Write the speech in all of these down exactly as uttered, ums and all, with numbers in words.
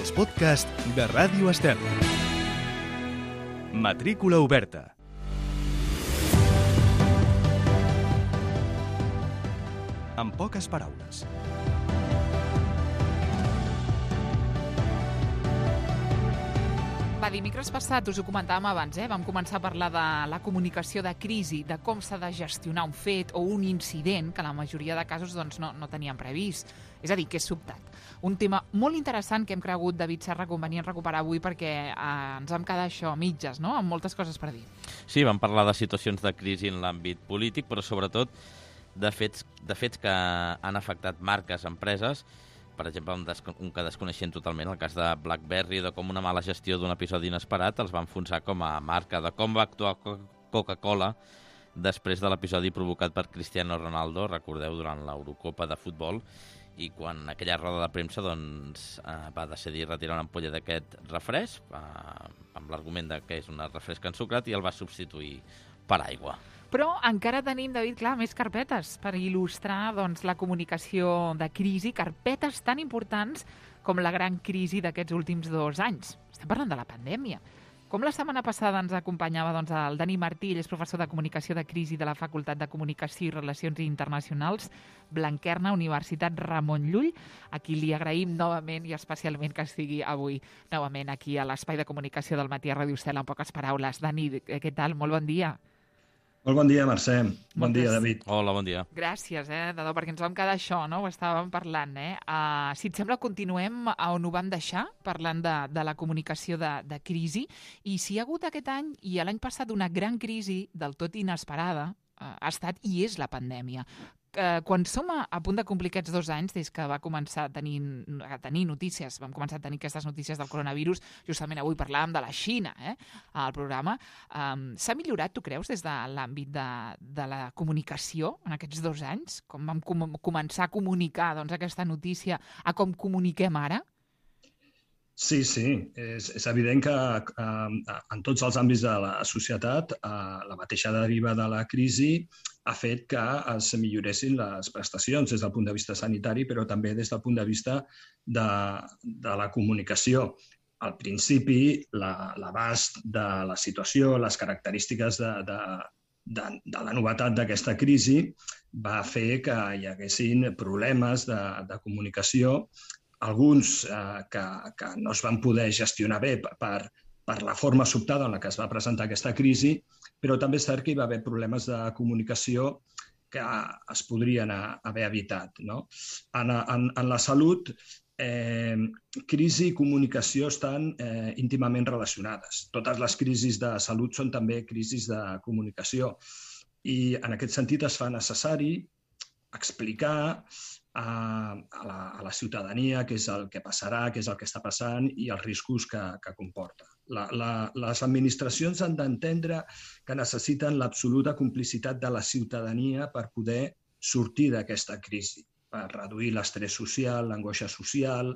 els podcasts de Ràdio Estel. Matrícula oberta. En poques paraules. Va, dimecres passat, us ho comentàvem abans, eh? vam començar a parlar de la comunicació de crisi, de com s'ha de gestionar un fet o un incident que la majoria de casos doncs, no, no teníem previst. És a dir, que és sobtat. Un tema molt interessant que hem cregut, David Serra, convenient recuperar avui perquè eh, ens vam quedar això a mitges, no? amb moltes coses per dir. Sí, vam parlar de situacions de crisi en l'àmbit polític, però sobretot de fets, de fets que han afectat marques, empreses. Per exemple, un, un que desconeixien totalment, el cas de BlackBerry, de com una mala gestió d'un episodi inesperat els va enfonsar com a marca, de com va actuar Coca-Cola després de l'episodi provocat per Cristiano Ronaldo, recordeu, durant l'Eurocopa de futbol, i quan en aquella roda de premsa doncs, eh, va decidir retirar una ampolla d'aquest refresc, eh, amb l'argument de que és un refresc ensucrat, i el va substituir per aigua. Però encara tenim, David, clar, més carpetes per il·lustrar doncs, la comunicació de crisi, carpetes tan importants com la gran crisi d'aquests últims dos anys. Estem parlant de la pandèmia. Com la setmana passada ens acompanyava doncs, el Dani Martí, ell és professor de Comunicació de Crisi de la Facultat de Comunicació i Relacions Internacionals, Blanquerna, Universitat Ramon Llull, a qui li agraïm novament i especialment que estigui avui novament aquí a l'Espai de Comunicació del Matí a Ràdio Estel, en poques paraules. Dani, què tal? Molt bon dia. Molt bon dia, Mercè. Bon dia, David. Hola, bon dia. Gràcies, eh, Dadó, perquè ens vam quedar això, no? Ho estàvem parlant, eh? Uh, si et sembla, continuem a on ho vam deixar, parlant de, de la comunicació de, de crisi, i si hi ha hagut aquest any i l'any passat una gran crisi del tot inesperada, uh, ha estat i és la pandèmia. Uh, quan som a, a punt de complir aquests dos anys, des que va començar a tenir, a tenir notícies, vam començar a tenir aquestes notícies del coronavirus, justament avui parlàvem de la Xina, eh, al programa, um, s'ha millorat, tu creus, des de l'àmbit de, de la comunicació en aquests dos anys? Com vam com començar a comunicar doncs, aquesta notícia a com comuniquem ara? Sí, sí. És, és evident que eh, en tots els àmbits de la societat eh, la mateixa deriva de la crisi ha fet que es milloressin les prestacions des del punt de vista sanitari, però també des del punt de vista de, de la comunicació. Al principi, l'abast la, de la situació, les característiques de, de, de, de la novetat d'aquesta crisi va fer que hi haguessin problemes de, de comunicació, alguns eh, que, que no es van poder gestionar bé per, per la forma sobtada en la que es va presentar aquesta crisi, però també és cert que hi va haver problemes de comunicació que es podrien haver evitat. No? En, en, en la salut, eh, crisi i comunicació estan eh, íntimament relacionades. Totes les crisis de salut són també crisis de comunicació i en aquest sentit es fa necessari explicar a la, a la ciutadania què és el que passarà, què és el que està passant i els riscos que, que comporta. La, la, les administracions han d'entendre que necessiten l'absoluta complicitat de la ciutadania per poder sortir d'aquesta crisi, per reduir l'estrès social, l'angoixa social,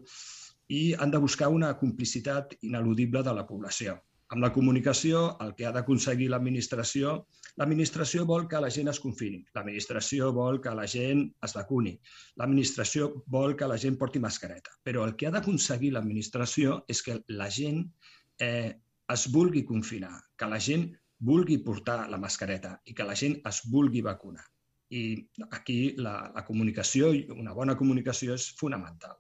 i han de buscar una complicitat ineludible de la població. Amb la comunicació, el que ha d'aconseguir l'administració, l'administració vol que la gent es confini, l'administració vol que la gent es vacuni, l'administració vol que la gent porti mascareta, però el que ha d'aconseguir l'administració és que la gent eh, es vulgui confinar, que la gent vulgui portar la mascareta i que la gent es vulgui vacunar. I aquí la, la comunicació, una bona comunicació, és fonamental.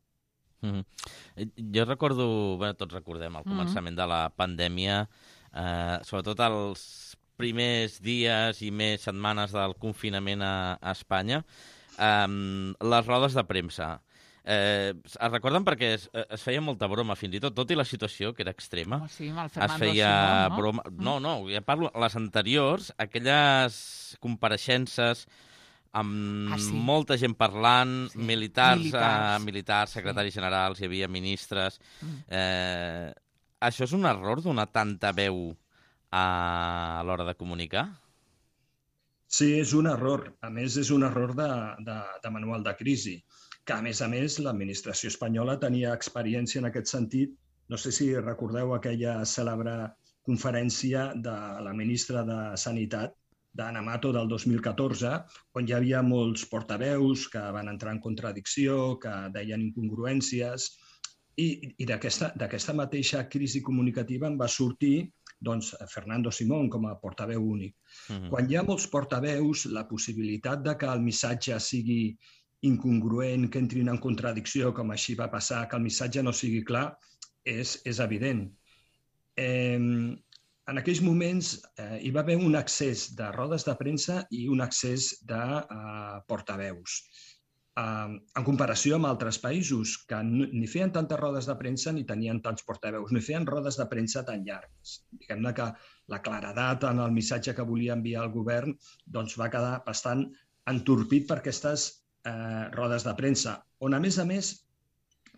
Mm-hmm. Jo recordo, bé, tots recordem el començament mm-hmm. de la pandèmia, eh, sobretot els primers dies i més setmanes del confinament a, a Espanya, eh, les rodes de premsa. Eh, es recorden perquè es, es feia molta broma, fins i tot, tot i la situació, que era extrema. Oh, sí, amb el es feia Simón, no? broma... No, no, ja parlo, les anteriors, aquelles compareixences amb ah, sí. molta gent parlant, sí. militars, militars. Uh, militars, secretaris sí. generals, hi havia ministres. Mm. Eh, això és un error donar tanta veu a, a l'hora de comunicar? Sí, és un error. A més, és un error de, de, de manual de crisi, que a més a més l'administració espanyola tenia experiència en aquest sentit. No sé si recordeu aquella cèlebre conferència de la ministra de Sanitat, d'Ana Mato del dos mil catorze, on hi havia molts portaveus que van entrar en contradicció, que deien incongruències, I, i d'aquesta mateixa crisi comunicativa en va sortir doncs, Fernando Simón com a portaveu únic. Mm-hmm. Quan hi ha molts portaveus, la possibilitat de que el missatge sigui incongruent, que entrin en contradicció, com així va passar, que el missatge no sigui clar, és, és evident. Eh, en aquells moments eh, hi va haver un excés de rodes de premsa i un excés de eh, portaveus. En comparació amb altres països que ni feien tantes rodes de premsa ni tenien tants portaveus, ni feien rodes de premsa tan llargues. Diguem-ne que la claredat en el missatge que volia enviar el govern doncs va quedar bastant entorpit per aquestes eh, rodes de premsa, on a més a més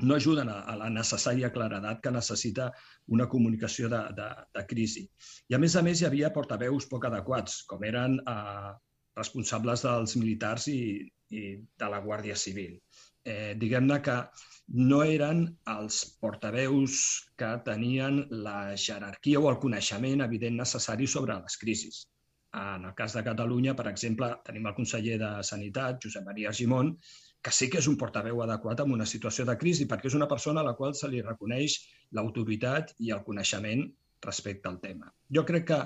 no ajuden a, a la necessària claredat que necessita una comunicació de, de, de crisi. I a més a més hi havia portaveus poc adequats, com eren eh, responsables dels militars i i de la Guàrdia Civil. Eh, Diguem-ne que no eren els portaveus que tenien la jerarquia o el coneixement evident necessari sobre les crisis. En el cas de Catalunya, per exemple, tenim el conseller de Sanitat, Josep Maria Argimon, que sí que és un portaveu adequat en una situació de crisi, perquè és una persona a la qual se li reconeix l'autoritat i el coneixement respecte al tema. Jo crec que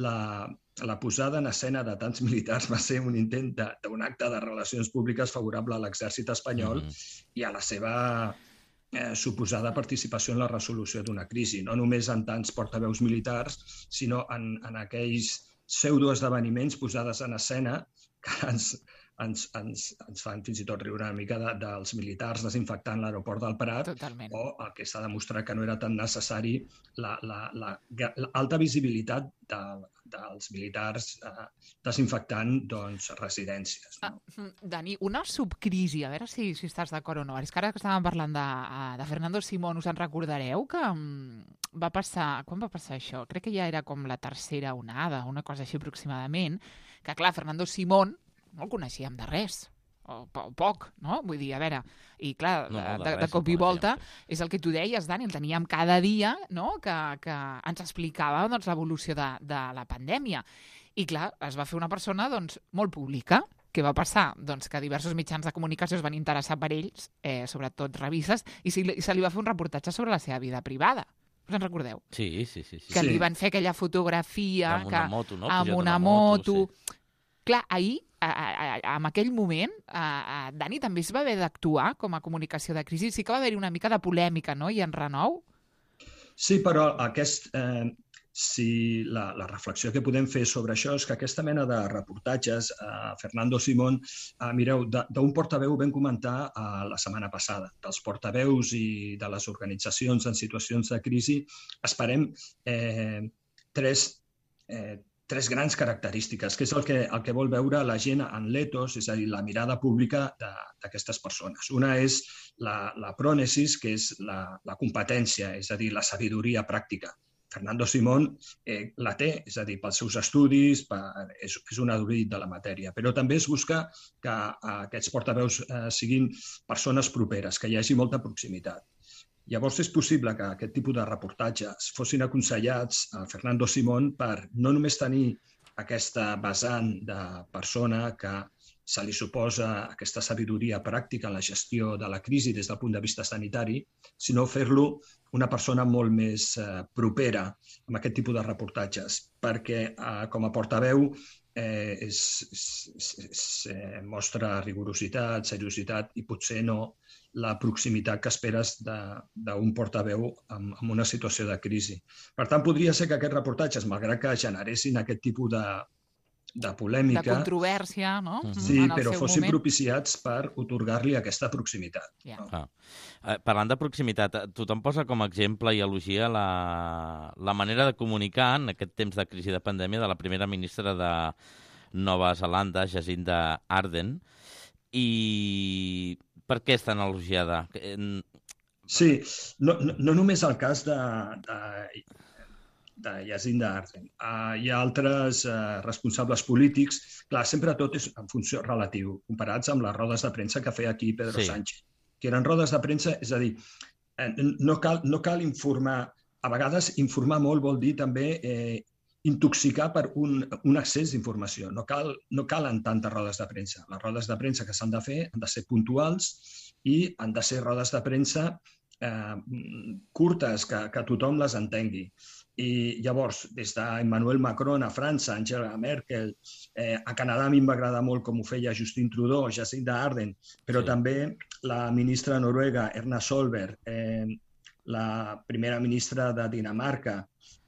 la, la posada en escena de tants militars va ser un intent d'un acte de relacions públiques favorable a l'exèrcit espanyol mm. i a la seva eh, suposada participació en la resolució d'una crisi, no només en tants portaveus militars, sinó en, en aquells pseudoesdeveniments posades en escena que ens, ens, ens, ens fan fins i tot riure una mica de, dels militars desinfectant l'aeroport del Prat. Totalment. O el que s'ha demostrat que no era tan necessari l'alta visibilitat de, dels militars eh, desinfectant doncs, residències. No? Ah, Dani, una subcrisi, a veure si, si estàs d'acord o no. És que ara que estàvem parlant de, de Fernando Simón, us en recordareu que va passar... Quan va passar això? Crec que ja era com la tercera onada, una cosa així aproximadament, que clar, Fernando Simón no el coneixíem de res, o, o poc, no? Vull dir, a veure, i clar, no, no, de, de, de cop i volta, és el que tu deies, Dani, el teníem cada dia, no?, que, que ens explicava doncs, l'evolució de, de la pandèmia. I clar, es va fer una persona doncs, molt pública. Què va passar? Doncs que diversos mitjans de comunicació es van interessar per ells, eh, sobretot revistes, i se li, se li va fer un reportatge sobre la seva vida privada. Us en recordeu? Sí, sí, sí. sí. Que sí. li van fer aquella fotografia... Amb una que, moto, no? Amb una, una moto... moto sí. Clar, ahir, a, a, a, en aquell moment, a, a Dani també es va haver d'actuar com a comunicació de crisi. Sí que va haver-hi una mica de polèmica, no?, i enrenou. Sí, però aquest, eh, si la, la reflexió que podem fer sobre això és que aquesta mena de reportatges, eh, Fernando Simón, eh, mireu, d'un portaveu vam comentar eh, la setmana passada, dels portaveus i de les organitzacions en situacions de crisi, esperem eh, tres eh, tres grans característiques, que és el que, el que vol veure la gent en l'etos, és a dir, la mirada pública d'aquestes persones. Una és la, la prònesis, que és la, la competència, és a dir, la sabidoria pràctica. Fernando Simón eh, la té, és a dir, pels seus estudis, per, és, és un erudit de la matèria, però també es busca que eh, aquests portaveus eh, siguin persones properes, que hi hagi molta proximitat. Llavors és possible que aquest tipus de reportatges fossin aconsellats a Fernando Simón per no només tenir aquesta vessant de persona que se li suposa aquesta sabidoria pràctica en la gestió de la crisi des del punt de vista sanitari, sinó fer-lo una persona molt més eh, propera amb aquest tipus de reportatges, perquè eh, com a portaveu eh, és, és, és, és, eh, mostra rigorositat, seriositat i potser no la proximitat que esperes d'un portaveu en, en una situació de crisi. Per tant, podria ser que aquests reportatges, malgrat que generessin aquest tipus de, de polèmica... De controvèrsia, no? Sí, però fossin moment. propiciats per otorgar-li aquesta proximitat. Yeah. No? Ah. Eh, parlant de proximitat, tothom posa com a exemple i elogia la, la manera de comunicar en aquest temps de crisi de pandèmia de la primera ministra de Nova Zelanda, Jacinda Ardern, i per què és tan elogiada? Sí, no, no, no només el cas de, de, de Jacinda Ardern. Uh, hi ha altres uh, responsables polítics. Clar, sempre tot és en funció relatiu, comparats amb les rodes de premsa que feia aquí Pedro sí. Sánchez. Que eren rodes de premsa, és a dir, no cal, no cal informar. A vegades informar molt vol dir també eh, intoxicar per un, un excés d'informació. No, cal, no calen tantes rodes de premsa. Les rodes de premsa que s'han de fer han de ser puntuals i han de ser rodes de premsa eh, curtes, que, que tothom les entengui. I llavors, des d'Emmanuel Macron a França, Angela Merkel, eh, a Canadà a mi em va agradar molt com ho feia Justin Trudeau, Jacinda Ardern, però sí. també la ministra noruega Erna Solberg, eh, la primera ministra de Dinamarca,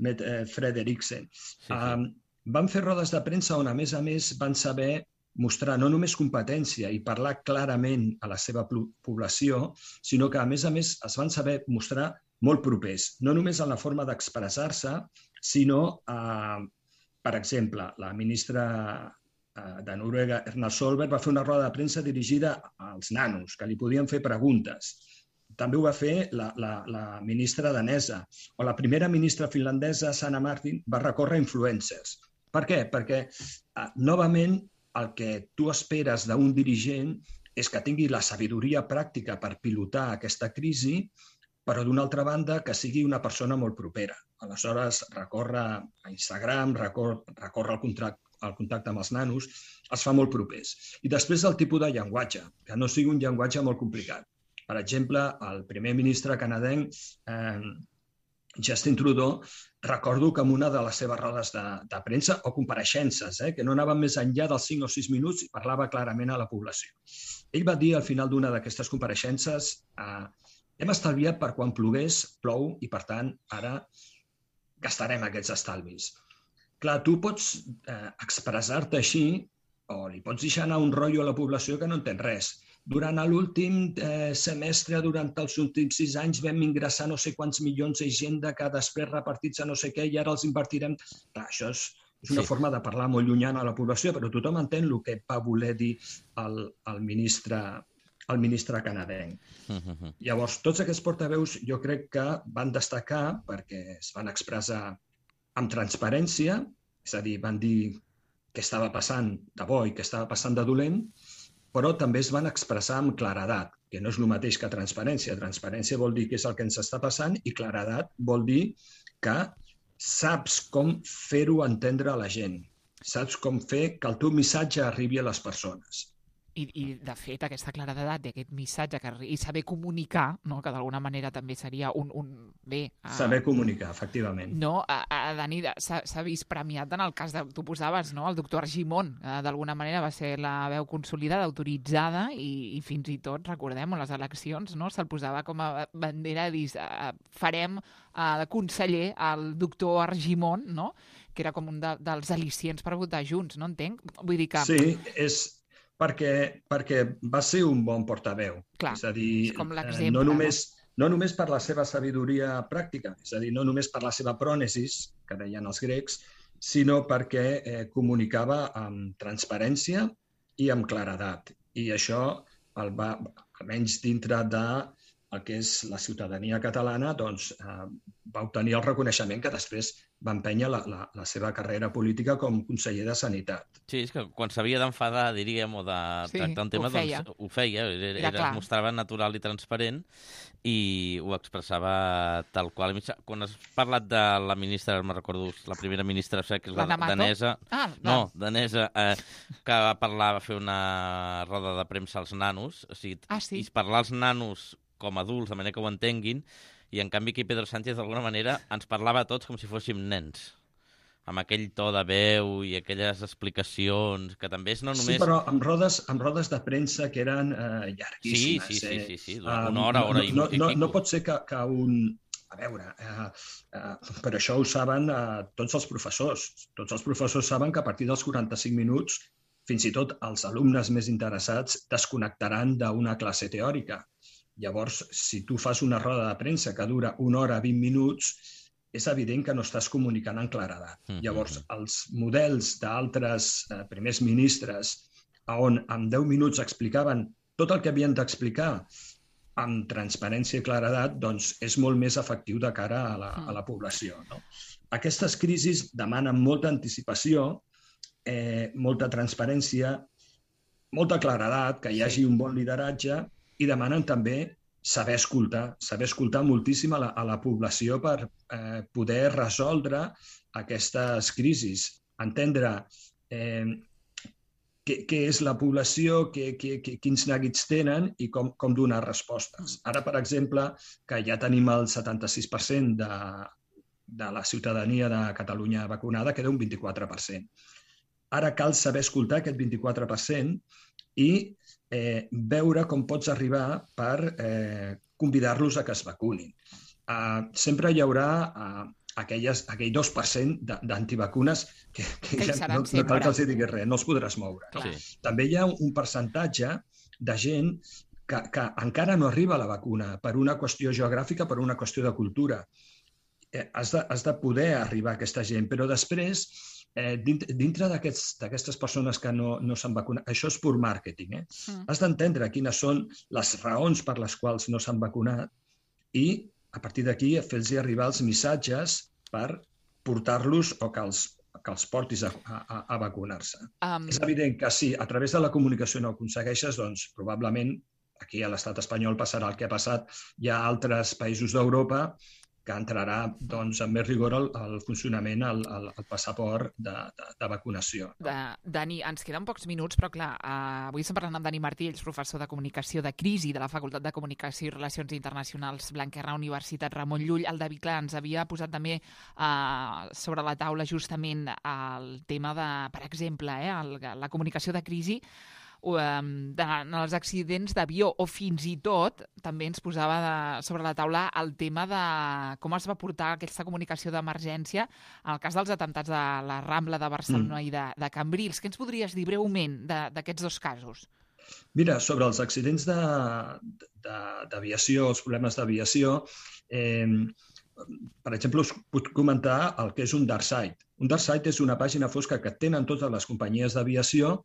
Mette Frederiksen, sí, sí. Eh, van fer rodes de premsa on, a més a més, van saber mostrar no només competència i parlar clarament a la seva població, sinó que, a més a més, es van saber mostrar molt propers, no només en la forma d'expressar-se, sinó, eh, per exemple, la ministra eh, de Noruega, Erna Solberg, va fer una roda de premsa dirigida als nanos, que li podien fer preguntes. També ho va fer la, la, la ministra danesa, o la primera ministra finlandesa, Sanna Marin, va recórrer influencers. Per què? Perquè, eh, novament, el que tu esperes d'un dirigent és que tingui la sabidoria pràctica per pilotar aquesta crisi, però d'una altra banda que sigui una persona molt propera. Aleshores, recorre a Instagram, recorre, recorre el, contracte, el contacte amb els nanos, es fa molt propers. I després el tipus de llenguatge, que no sigui un llenguatge molt complicat. Per exemple, el primer ministre canadenc, eh, Justin Trudeau, recordo que en una de les seves rodes de, de premsa o compareixences, eh, que no anaven més enllà dels cinc o sis minuts i parlava clarament a la població. Ell va dir al final d'una d'aquestes compareixences eh, hem estalviat per quan plogués, plou, i per tant ara gastarem aquests estalvis. Clar, tu pots eh, expressar-te així o li pots deixar anar un rotllo a la població que no entén res. Durant l'últim eh, semestre, durant els últims sis anys, vam ingressar no sé quants milions d'Hisenda que després repartits a no sé què i ara els invertirem. Clar, això és, és una sí. forma de parlar molt llunyana a la població, però tothom entén el que va voler dir el, el ministre el ministre canadenc. Uh-huh. Llavors, tots aquests portaveus jo crec que van destacar perquè es van expressar amb transparència, és a dir, van dir què estava passant de bo i què estava passant de dolent, però també es van expressar amb claredat, que no és el mateix que transparència. Transparència vol dir què és el que ens està passant i claredat vol dir que saps com fer-ho entendre a la gent, saps com fer que el teu missatge arribi a les persones. I, i de fet, aquesta claredat d'aquest missatge que, i saber comunicar, no? Que d'alguna manera també seria un... un bé, uh, saber comunicar, efectivament. No, a, a Dani, s'ha vist premiat en el cas de... Tu posaves, no?, el doctor Argimon, uh, d'alguna manera va ser la veu consolidada, autoritzada, i, i fins i tot, recordem, les eleccions, no?, se'l posava com a bandera de dir, uh, farem uh, de conseller al doctor Argimon, no?, que era com un de, dels al·licients per votar junts, no entenc? Vull dir que... Sí, és... Perquè, perquè va ser un bon portaveu. Clar, és a dir, és com l'exemple. No només, no només per la seva sabidoria pràctica, és a dir, no només per la seva prònesis, que deien els grecs, sinó perquè eh, comunicava amb transparència i amb claredat. I això, el va, almenys dintre de el que és la ciutadania catalana, doncs, eh, va obtenir el reconeixement que després va empènyer la, la, la seva carrera política com conseller de Sanitat. Sí, és que quan s'havia d'enfadar, diríem, o de sí, tractar un tema, ho feia. doncs ho feia. Era, era, era, es mostrava natural i transparent i ho expressava tal qual. Quan has parlat de la ministra, me'n recordo, la primera ministra, que és la, la danesa, ah, no, danesa, eh, que va parlar, va fer una roda de premsa als nanos, o sigui, ah, sí? i parlar als nanos com adults, de manera que ho entenguin, i en canvi aquí Pedro Sánchez d'alguna manera ens parlava a tots com si fóssim nens, amb aquell to de veu i aquelles explicacions, que també és no només... Sí, però amb rodes, amb rodes de premsa que eren eh, llarguíssimes. Sí, sí, eh? sí, sí, sí, una hora, hora no, i, no, i no, pico. No pot ser que, que un... A veure, eh, eh, per això ho saben eh, tots els professors. Tots els professors saben que a partir dels quaranta-cinc minuts, fins i tot els alumnes més interessats desconnectaran d'una classe teòrica. Llavors, si tu fas una roda de premsa que dura una hora, vint minuts, és evident que no estàs comunicant en claredat. Mm-hmm. Llavors, els models d'altres eh, primers ministres on en deu minuts explicaven tot el que havien d'explicar amb transparència i claredat, doncs és molt més efectiu de cara a la, a la població. No? Aquestes crisis demanen molta anticipació, eh, molta transparència, molta claredat, que hi hagi un bon lideratge, i demanen també saber escoltar, saber escoltar moltíssim a la, a la població per eh, poder resoldre aquestes crisis, entendre eh, què, què és la població, què, què, quins neguits tenen i com, com donar respostes. Ara, per exemple, que ja tenim el setanta-sis per cent de, de la ciutadania de Catalunya vacunada, queda un vint-i-quatre per cent. Ara cal saber escoltar aquest vint-i-quatre per cent i eh, veure com pots arribar per eh, convidar-los a que es vacunin. Uh, sempre hi haurà uh, aquelles, aquell dos per cent d'antivacunes que, que, que ja no, no cal que els diguis res, no els podràs moure. Sí. També hi ha un percentatge de gent que, que encara no arriba a la vacuna per una qüestió geogràfica, per una qüestió de cultura. Eh, has, de, has de poder arribar a aquesta gent, però després, eh, dintre, dintre d'aquestes persones que no, no s'han vacunat, això és pur màrqueting, eh? Mm. Has d'entendre quines són les raons per les quals no s'han vacunat i a partir d'aquí, fer-los arribar els missatges per portar-los o que els, que els portis a, a, a vacunar-se. Um... És evident que si a través de la comunicació no ho aconsegueixes, doncs probablement aquí a l'estat espanyol passarà el que ha passat. Hi ha altres països d'Europa que entrarà doncs, amb més rigor el, el funcionament, el, el, el passaport de, de, de vacunació. De, Dani, ens queden pocs minuts, però clar, uh, avui estem parlant amb Dani Martí, ell és professor de Comunicació de Crisi de la Facultat de Comunicació i Relacions Internacionals Blanquerna, Universitat Ramon Llull. El David, clar, ens havia posat també uh, sobre la taula justament el tema de, per exemple, eh, el, la comunicació de crisi, de, en els accidents d'avió o fins i tot també ens posava de, sobre la taula el tema de com es va portar aquesta comunicació d'emergència en el cas dels atemptats de la Rambla de Barcelona mm. i de, de Cambrils. Què ens podries dir breument d'aquests dos casos? Mira, sobre els accidents d'aviació, els problemes d'aviació, eh, per exemple, us puc comentar el que és un dark site. Un dark site és una pàgina fosca que tenen totes les companyies d'aviació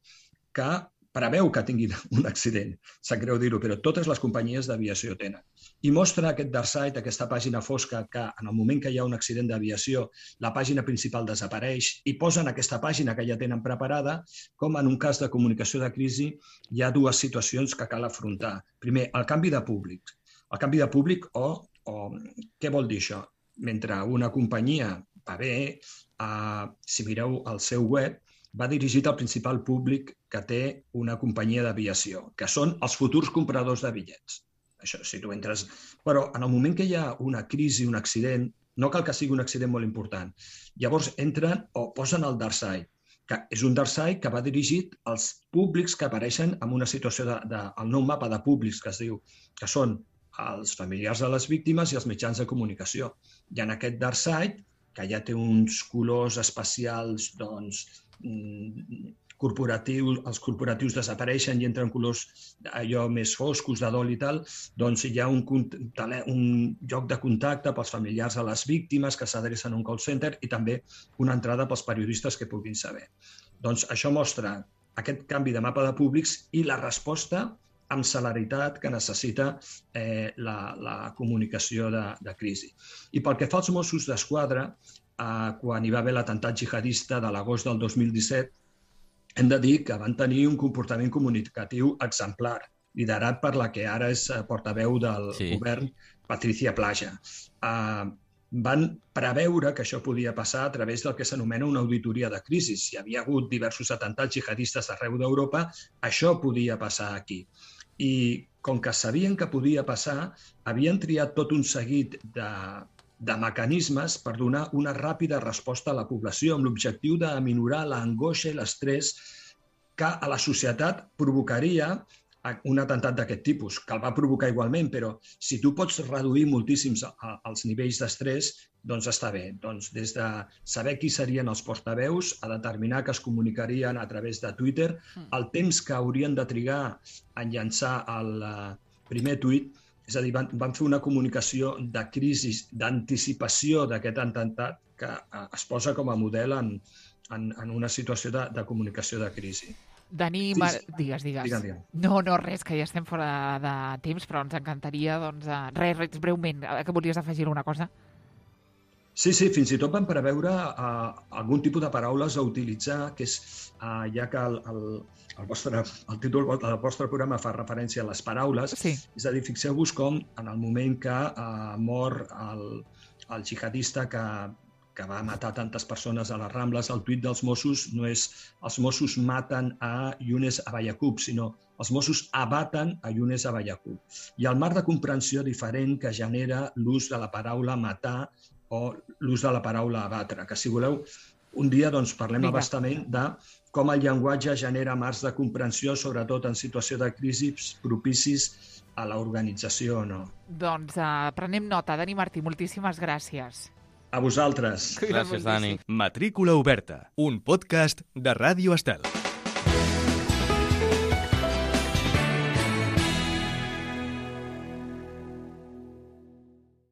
que preveu que tinguin un accident. Sap greu dir-ho, però totes les companyies d'aviació tenen. I mostra aquest dark site, aquesta pàgina fosca, que en el moment que hi ha un accident d'aviació, la pàgina principal desapareix i posen aquesta pàgina que ja tenen preparada, com en un cas de comunicació de crisi hi ha dues situacions que cal afrontar. Primer, el canvi de públic. El canvi de públic o, o què vol dir això? Mentre una companyia va bé, eh, si mireu el seu web, va dirigit al principal públic que té una companyia d'aviació, que són els futurs compradors de bitllets. Això, si tu entres... Però en el moment que hi ha una crisi, un accident, no cal que sigui un accident molt important. Llavors entren o posen el dark site, que és un dark site que va dirigit als públics que apareixen en una situació de, de, el nou mapa de públics que es diu, que són els familiars de les víctimes i els mitjans de comunicació. I en aquest dark site, que ja té uns colors especials, doncs, corporatius, els corporatius desapareixen i entren colors allò més foscos, de dol i tal, doncs hi ha un, un lloc de contacte pels familiars de les víctimes que s'adrecen a un call center i també una entrada pels periodistes que puguin saber. Doncs això mostra aquest canvi de mapa de públics i la resposta amb celeritat que necessita eh, la, la comunicació de, de crisi. I pel que fa als Mossos d'Esquadra, eh, quan hi va haver l'atemptat jihadista de l'agost del dos mil disset, hem de dir que van tenir un comportament comunicatiu exemplar, liderat per la que ara és portaveu del sí. govern, Patricia Plaja. Eh, van preveure que això podia passar a través del que s'anomena una auditoria de crisi. Si hi havia hagut diversos atemptats jihadistes arreu d'Europa, això podia passar aquí. I com que sabien que podia passar, havien triat tot un seguit de, de mecanismes per donar una ràpida resposta a la població amb l'objectiu d'aminorar l'angoixa i l'estrès que a la societat provocaria un atemptat d'aquest tipus, que el va provocar igualment, però si tu pots reduir moltíssims els nivells d'estrès, doncs està bé. Doncs des de saber qui serien els portaveus a determinar que es comunicarien a través de Twitter, el temps que haurien de trigar a llançar el primer tuit, és a dir, van, van fer una comunicació de crisi, d'anticipació d'aquest atemptat que es posa com a model en, en, en una situació de, de comunicació de crisi. Dani, Mar... digues, digues. Digue'm, digue'm. No, no, res, que ja estem fora de temps, però ens encantaria, doncs, res, res, breument, que volies afegir alguna cosa? Sí, sí, fins i tot van preveure uh, algun tipus de paraules a utilitzar, que és, uh, ja que el, el, el, vostre, el títol del vostre programa fa referència a les paraules, sí. És a dir, fixeu-vos com en el moment que uh, mor el, el jihadista que, que va matar tantes persones a les Rambles, el tuit dels Mossos no és els Mossos maten a Younes Abayacub, sinó els Mossos abaten a Younes Abayacub. I el marc de comprensió diferent que genera l'ús de la paraula matar o l'ús de la paraula abatre, que si voleu, un dia doncs, parlem Vinga. abastament de com el llenguatge genera marcs de comprensió, sobretot en situació de crisi propicis a l'organització o no. Doncs uh, prenem nota. Dani Martí, moltíssimes gràcies. A vosaltres. Cuida Gràcies, moltíssim. Dani. Matrícula oberta, un podcast de Ràdio Estel.